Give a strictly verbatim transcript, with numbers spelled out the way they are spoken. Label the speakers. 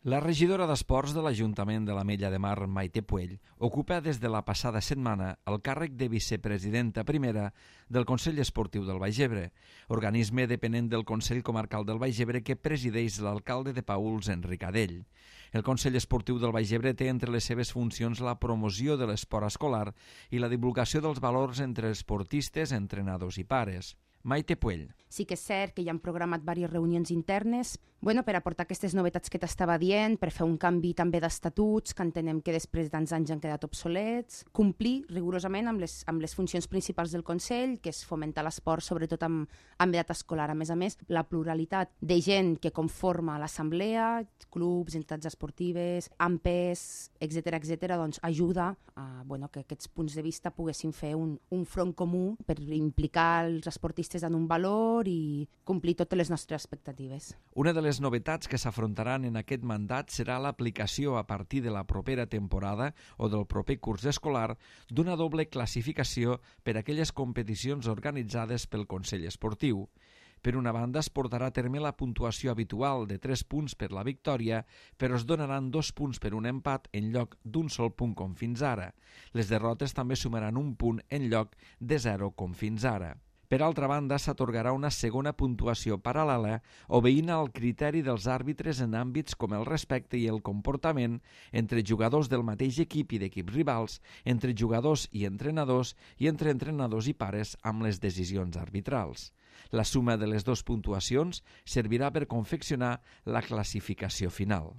Speaker 1: La regidora d'Esports de l'Ajuntament de l'Ametlla de Mar, Maite Puell, ocupa des de la passada setmana el càrrec de vicepresidenta primera del Consell Esportiu del Baix Ebre, organisme depenent del Consell Comarcal del Baix Ebre que presideix l'alcalde de Paüls, Enric Adell. El Consell Esportiu del Baix Ebre té entre les seves funcions la promoció de l'esport escolar i la divulgació dels valors entre esportistes, entrenadors i pares. Maite Puell.
Speaker 2: Sí que és cert que hi han programat diverses reunions internes bueno, per aportar aquestes novetats que t'estava dient, per fer un canvi també d'estatuts, que entenem que després de tants anys han quedat obsolets, complir rigorosament amb les, amb les funcions principals del Consell, que és fomentar l'esport, sobretot amb, amb edat escolar. A més a més, la pluralitat de gent que conforma l'assemblea, clubs, entitats esportives, A M P E S, etcètera, etcètera, doncs ajuda a bueno, que aquests punts de vista poguessin fer un, un front comú per implicar els esportistes en un valor i complir totes les nostres expectatives.
Speaker 1: Una de les Les novetats que s'afrontaran en aquest mandat serà l'aplicació a partir de la propera temporada o del proper curs escolar d'una doble classificació per a aquelles competicions organitzades pel Consell Esportiu. Per una banda, es portarà a terme la puntuació habitual de tres punts per la victòria, però es donaran dos punts per un empat en lloc d'un sol punt com fins ara. Les derrotes també sumaran un punt en lloc de zero com fins ara. Per altra banda, s'atorgarà una segona puntuació paral·lela obeint al criteri dels àrbitres en àmbits com el respecte i el comportament entre jugadors del mateix equip i d'equips rivals, entre jugadors i entrenadors i entre entrenadors i pares amb les decisions arbitrals. La suma de les dues puntuacions servirà per confeccionar la classificació final.